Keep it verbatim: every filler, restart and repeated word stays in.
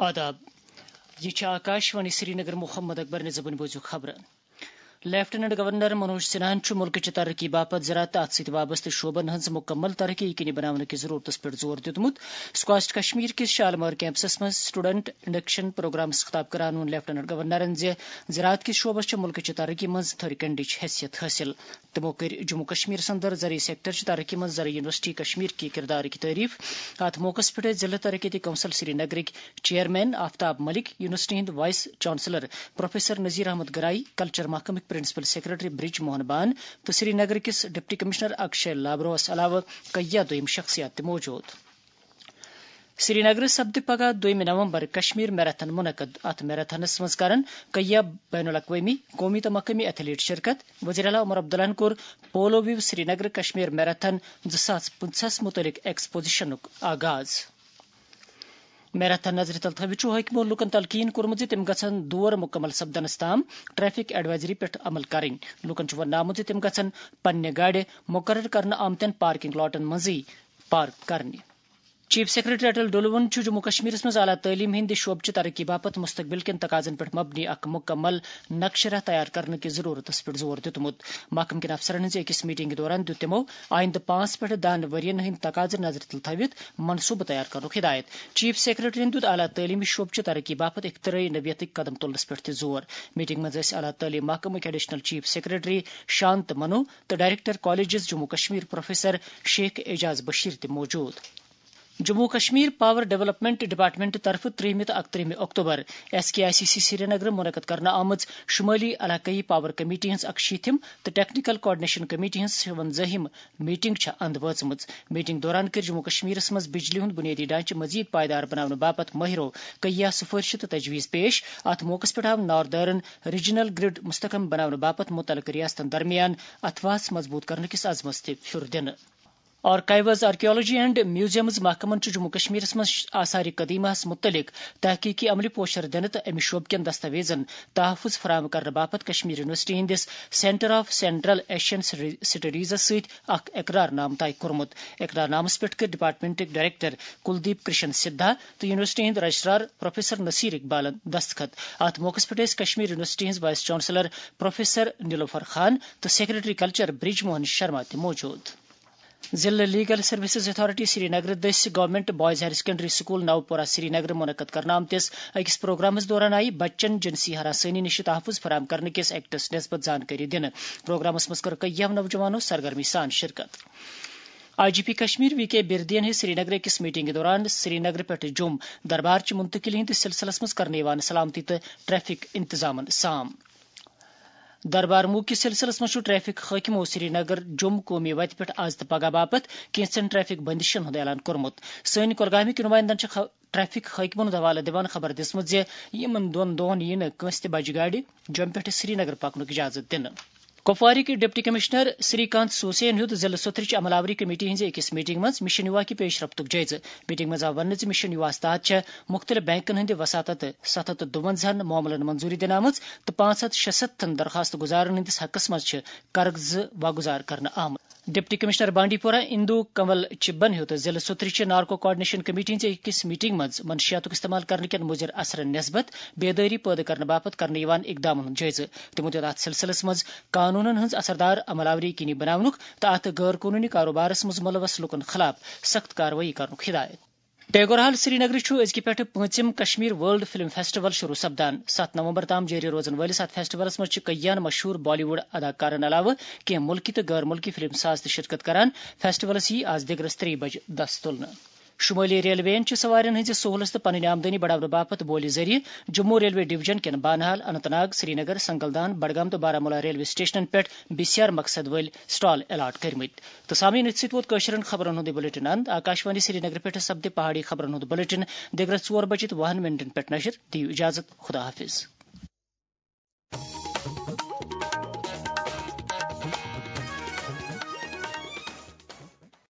آداب۔ یہ چھِ آکاش وانی سرینگر۔ محمد اکبر نظامن بوزِو خبرٕ۔ لیفٹیننٹ گورنر منوج سنہاہن چھُ مُلکٕچہِ ترقی باپتھ زراعت تہٕ اَتھ سۭتۍ وابستہٕ شعبن ہٕنٛز مُکمل ترقی یقینی بناونہٕ کِس ضروٗرتس پٮ۪ٹھ زور دیُتمُت۔ سکواسٹ کشمیر کِس شالمار کیمپسس منٛز سٹوڈنٹ انڈکشن پروگرامس خطاب کران ووٚن لیفٹیننٹ گورنرن زِ زراعت کِس شعبس چھِ مُلکٕچہِ ترقی منٛز تھٔرۍ کنڈٕچ حیثیت حٲصِل۔ تِمو کٔر جموں کشمیرس اندر زرعی سیکٹر چہِ ترقی منٛز زرعی یونیورسٹی کشمیر کہِ کردارٕکۍ تعریف۔ اتھ موقعس پٮ۪ٹھ ٲسۍ ضلع ترقیتی کونسل سرینگرٕکۍ چیئرمین آفتاب ملک، یونیورسٹی ہٕنٛدۍ vice chancellor professor Nazir Ahmad Ganai, culture محکمٕکۍ پرنسپل سیکرٹری برج موہن بان تہٕ سرینگر کِس ڈپٹی کمشنر اکشے لابروہس علاوٕ کیاہ دوٚیِم شخصیات تہِ موجود۔ سرینگرٕ سپدِ پگاہ دوٚیمہِ نومبر کشمیر میراتھن منعقد۔ اتھ میراتھنس منٛز کرن کیاہ بین الاقوٲمی، قومی تہٕ مقٲمی ایتھلیٹ شرکت۔ وزیر اعلیٰ عمر عبداللہن کوٚر polo view Srinagar Kashmir marathon زٕ ساس پٕنٛژٕہس متعلق ایکسپوزیشنُک آغاز۔ میراتھن نظرِ تل تھٲوِتھ چھُ حٲکمو لوٗکَن تلقین کوٚرمُت زِ تِم گژھن دور مُکمل سپدنَس تام ٹریفک ایڈوائزری پٮ۪ٹھ عمل کرٕنۍ۔ لوٗکَن چھُ وننہٕ آمُت زِ تِم گژھن پننہِ گاڑِ مُقرر کرنہٕ آمتٮ۪ن پارکنگ لاٹَن منٛزٕے پارک کرنہِ۔ چیف سیکرٹری اٹل ڈولون چھُ جموں کشمیرس منٛز اعلیٰ تعلیٖم ہٕنٛدِ شعبہٕ چہِ ترقی باپتھ مستقبل کٮ۪ن تقاضن پٮ۪ٹھ مبنی اکھ مُکمل نقشہٕ راہ تیار کرنہٕ کِس ضروٗرتس پٮ۪ٹھ زور دیُتمُت۔ محکمہٕ کٮ۪ن افسرن ہٕنٛزِ أکِس میٹنگہِ دوران دیُت تِمو آیندٕ پانٛژھ پٮ۪ٹھ دَہَن ؤرین ہٕنٛدۍ تقاضہٕ نظرِ تل تھٲوِتھ منصوٗبہٕ تیار کرنُک ہدایت۔ چیف سیکرٹریَن دیُت اعلیٰ تعلیٖمی شعبہٕ چہِ ترقی باپتھ اختراعی نوعیتٕکۍ قدم تُلنَس پٮ۪ٹھ تہِ زور۔ میٹنگ منٛز ٲسۍ اعلیٰ تعلیٖم محکمٕکۍ additional chief secretary Shant Manu تہٕ director colleges Jammu Kashmir professor Sheikh Ejaz Bashir تہِ موجود۔ Jammu Kashmir power development department طرفہٕ ترٛیٚیِمہِ تہٕ اَکترٛہمہِ اکتوبر S K I C C Srinagar منعقد کرنہٕ آمٕژ شمٲلی علاقٲیی پاور کمیٹی ہٕنٛز اَکشیٖتھِم تہٕ ٹیکنیکل کوآرڈینیشن کمیٹی ہٕنٛز شُوَنزٲہِم میٹنگ چھےٚ اند وٲژمٕژ۔ میٹنگ دوران کٔر جموں کشمیرس منٛز بجلی ہُنٛد بنیٲدی ڈھانچہٕ مزید پائیدار بناونہٕ باپتھ مٲہرو کیاہ سفٲرشہٕ تہٕ تجویز پیش۔ اتھ موقعس پٮ۪ٹھ آو ناردرن ریجنل گرڈ مستحکم بناونہٕ باپتھ متعلقہٕ ریاستن درمیان اتھواس مضبوٗط کرنہٕ کِس عزمس تہِ پھیُر دِنہٕ۔ آرکائیوز، آرکیالوجی اینڈ میوزیمز محکمن چھُ جموں کشمیرس منٛز آثار قدیمہس متعلق تحقیقی عملہِ پوشر دِنہٕ تہٕ امہِ شعبہٕ کٮ۪ن دستاویزن تحفظ فراہم کرنہٕ باپتھ کشمیر یونیورسٹی ہٕنٛدِس سینٹر آف سینٹرل ایشین سٹڈیزس سۭتۍ اکھ اقرار نامہٕ طے کوٚرمُت۔ اقرار نامس پٮ۪ٹھ کٔر ڈپارٹمنٹٕکۍ ڈائریکٹر کلدیپ کرشن سدھا تہٕ یونیورسٹی ہٕنٛدۍ رجسٹرار پروفیسر نصیر اقبالن دستخط۔ اتھ موقعس پٮ۪ٹھ ٲسۍ کشمیر یونیورسٹی ہٕنٛز وائس چانسلر پروفیسر نیلوفر خان تہٕ سیکرٹری کلچر برج موہن شرما تہِ موجود۔ ضلع لیگل سروسز اتھارٹی سرینگر دٔسۍ government boys higher secondary school Naupora Srinagar منعقد کرنہٕ آمتِس أکِس پروگرامس دوران آیہِ بچن جنسی ہراسانی نِش تحفظ فراہم کرنہٕ کِس ایکٹس نسبت زانکٲری دِنہٕ۔ پروگرامس منٛز کٔر کیاہو نوجوانو سرگرمی سان شرکت۔ I G P Kashmir V K بردین ہٕنٛز سرینگر أکِس میٹنگہِ دوران سرینگر پٮ۪ٹھ جوٚم دربار چہِ منتقلی ہٕنٛدِس سلسلس منٛز کرنہٕ یِوان سلامتی تہٕ ٹریفک انتظامن سام۔ دربار موٗ کِس سلسلس منٛز چھُ ٹریفک حٲکمو سرینگر جوٚم قومی وتہِ پٮ۪ٹھ از تہٕ پگاہ باپتھ کینٛژن ٹریفک بندشن ہُنٛد اعلان کوٚرمُت۔ سٲنۍ کۄلگامٕکۍ نُمایندن چھِ خ-، ٹریفک حٲکمن ہُنٛد حوالہٕ دِوان خبر دِژمٕژ زِ یِمن دۄن دۄہن یِیہِ نہٕ کٲنٛسہِ تہِ بجہِ گاڑِ جوٚم پٮ۪ٹھ سرینگر پکنُک اجازت دِنہٕ۔ کپوارٕکۍ ڈپٹی کمشنر سری کانت سوسین ہیوٚت ضلعہٕ سوتھرٕچ عمل آوری کمیٹی ہٕنٛزِ أکِس میٹنگ منٛز مشن یووا کہِ پیش رفتُک جٲیزٕ۔ میٹنگ منٛز آو وننہٕ زِ مشن یوواہس تحت چھےٚ مُختٔلِف بینکن ہٕنٛدِ وساطت ستھ ہتھ تہٕ دُوَنزاہن معاملن منظوٗری دِنہٕ آمٕژ تہٕ پانٛژھ ہتھ شُستتھن درخواست گُزارن ہٕنٛدِس حقس منٛز چھِ قرضہٕ واگُزار کرنہٕ آمٕتۍ۔ ڈپٹی کمشنر بانڈی پورہ اندو کنول چبن ہیوٚت ضلعہٕ سوتھرٕچہِ نارکو کوآرڈینیشن کمیٹی ہٕنٛزِ أکِس میٹنگ منٛز منشیاتُک استعمال کرنہٕ کٮ۪ن مُضر اثرن نسبت بیدٲری پٲدٕ کرنہٕ باپتھ کرنہٕ یِوان اقدامن ہُنٛد جٲیزٕ۔ تِمو دِیُت اتھ سلسلس منٛز قانونن ہٕنٛز اثردار عمل آوری یقینی بناونُک تہٕ اتھ غٲر قونوٗنی کاروبارس منٛز مُلوث لوٗکن خلاف سخت کاروٲیی کرنُک ہدایت۔ ٹیگور ہال سرینگرٕ چھُ أزکہِ پٮ۪ٹھٕ پوٗنٛژِم کشمیر ورلڈ فلم فیسٹیول شروع سپدان۔ ستھ نومبر تام جٲری روزن وٲلِس اتھ فیسٹیولس منٛز چھِ کیٛاہن مشہوٗر بالی ووڈ اداکارن علاوٕ کینٛہہ مُلکی تہٕ غٲر مُلکی فلم ساز تہِ شرکت کران۔ فیسٹیولس یِیہِ از دِگرس ترٛیٚیہِ بجہِ دس تُلنہٕ۔ شمٲلی ریلویَن چھِ سوارٮ۪ن ہٕنٛزِ سہوٗلژ تہٕ پنٕنۍ آمدنی بڑاونہٕ باپتھ بولہِ ذٔریعہٕ جموں ریلوے ڈویژن کٮ۪ن بانہال، اننت ناگ، سرینگر، سنگلدان، بڈگام تہٕ بارہمولہ ریلوے سٹیشنن پٮ۪ٹھ بی سی آر مقصد وٲلۍ سٹال الاٹ کٔرمٕتۍ۔ تہٕ سامعین، أتھۍ سۭتۍ ووت کٲشرٮ۪ن خبرن ہُنٛد یہِ بلیٹن اند۔ آکاشوانی سرینگر پٮ۪ٹھ سپدِ پہاڑی خبرن ہُنٛد بلیٹن دِگرس ژور بجہِ تہٕ وُہن منٹن پٮ۪ٹھ نشر۔ دِیِو اجازت، خدا حافظ۔